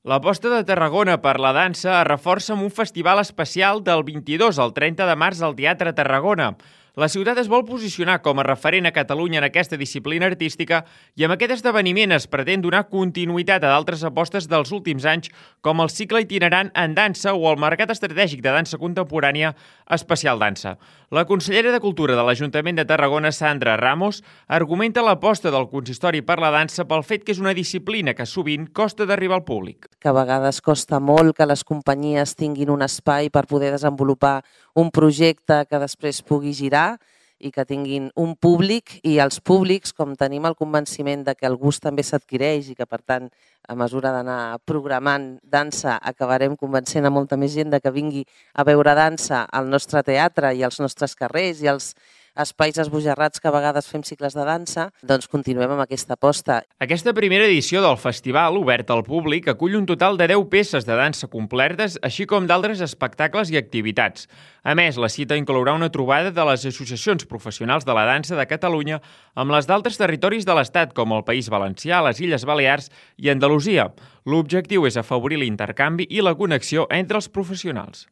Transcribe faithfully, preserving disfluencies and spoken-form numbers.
L'aposta de Tarragona per la dansa es reforça amb un festival especial del vint-i-dos al trenta de març al Teatre Tarragona. La ciutat es vol posicionar com a referent a Catalunya en aquesta disciplina artística i amb aquest esdeveniment es pretén donar continuïtat a d'altres apostes dels últims anys com el cicle itinerant en dansa o el mercat estratègic de dansa contemporània Especial Dansa. La consellera de Cultura de l'Ajuntament de Tarragona, Sandra Ramos, argumenta l'aposta del consistori per la dansa pel fet que és una disciplina que sovint costa d'arribar al públic. Que a vegades costa molt que les companyies tinguin un espai per poder desenvolupar un projecte que després pugui girar i que tinguin un públic, i els públics, com tenim el convenciment de que el gust també s'adquireix i que, per tant, a mesura d'anar programant dansa, acabarem convencent a molta més gent de que vingui a veure dansa al nostre teatre i als nostres carrers i als espais esbojarrats que a vegades fem cicles de dansa, doncs continuem amb aquesta aposta. Aquesta primera edició del festival, obert al públic, acull un total de deu peces de dansa complertes, així com d'altres espectacles i activitats. A més, la cita inclourà una trobada de les associacions professionals de la dansa de Catalunya amb les d'altres territoris de l'Estat, com el País Valencià, les Illes Balears i Andalusia. L'objectiu és afavorir l'intercanvi i la connexió entre els professionals.